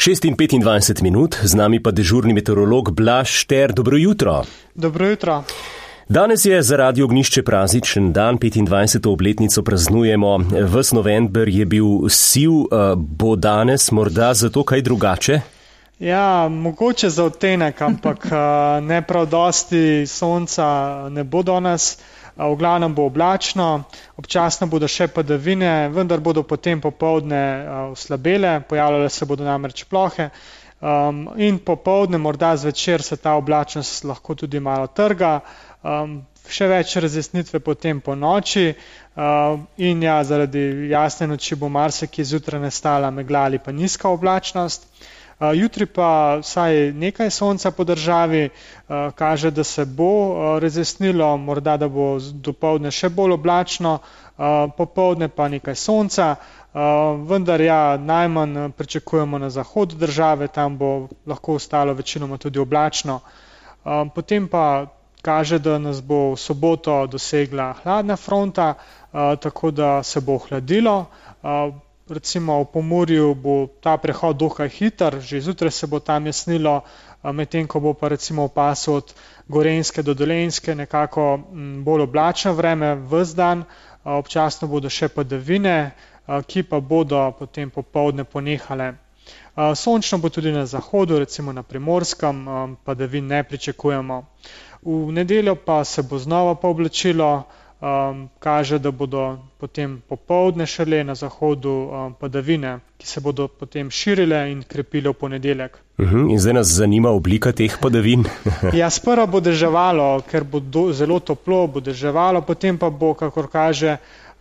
6:25, z nami pa dežurni meteorolog Blaž Šter. Dobro jutro. Dobro jutro. Danes je za Radio Ognjišče prazničen dan, 25. obletnico praznujemo. Ves november je bil siv, bo danes morda zato kaj drugače? Ja, mogoče za odtenek, ampak ne prav dosti sonca ne bo danes. V glavnem bo oblačno, občasno bodo še padavine, vendar bodo potem popoldne oslabele, pojavljale se bodo namreč plohe in popoldne, morda zvečer se ta oblačnost lahko tudi malo trga, še več razjasnitve potem po noči in ja, zaradi jasne noči bo marsikje zjutraj nastala megla ali pa nizka oblačnost. Jutri pa vsaj nekaj sonca po državi, kaže, da se bo razjasnilo, morda da bo dopoldne še bolj oblačno, popoldne pa nekaj sonca, vendar ja, najmanj pričakujemo na zahodu države, tam bo lahko ostalo večinoma tudi oblačno. Potem pa kaže, da nas bo v soboto dosegla hladna fronta, tako da se bo ohladilo. Recimo v Pomurju bo ta prehod dokaj hiter, že zjutraj se bo tam jasnilo, medtem ko bo pa recimo v pasu od Gorenjske do Dolenjske nekako bolj oblačno vreme ves dan, občasno bodo še padavine, ki pa bodo potem popoldne ponehale. Sončno bo tudi na zahodu, recimo na Primorskem, padavin ne pričakujemo. V nedeljo pa se bo znova pooblačilo, kaže, da bodo potem popoldne šele na zahodu padavine, ki se bodo potem širile in krepile v ponedeljek. In zdaj nas zanima oblika teh padavin. Ja, sprva bo deževalo, ker bo zelo toplo, bo deževalo, potem pa bo, kakor kaže,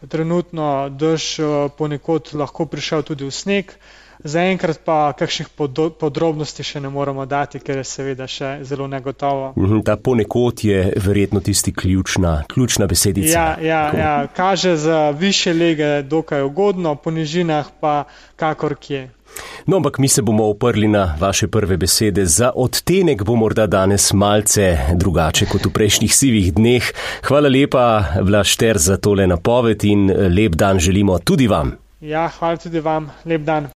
trenutno dež ponekod lahko prišel tudi v sneg. Zaenkrat pa kakšnih podrobnosti še ne moramo dati, ker je seveda še zelo negotovo. Ta ponekod je verjetno tisti ključna besedica. Ja, kaže za višje lege dokaj ugodno, po nižinah pa kakor kje. No, ampak mi se bomo oprli na vaše prve besede. Za odtenek bo morda danes malce drugače kot v prejšnjih sivih dneh. Hvala lepa, Blaž Šter, za tole napoved in lep dan želimo tudi vam. Ja, hvala tudi vam. Lep dan.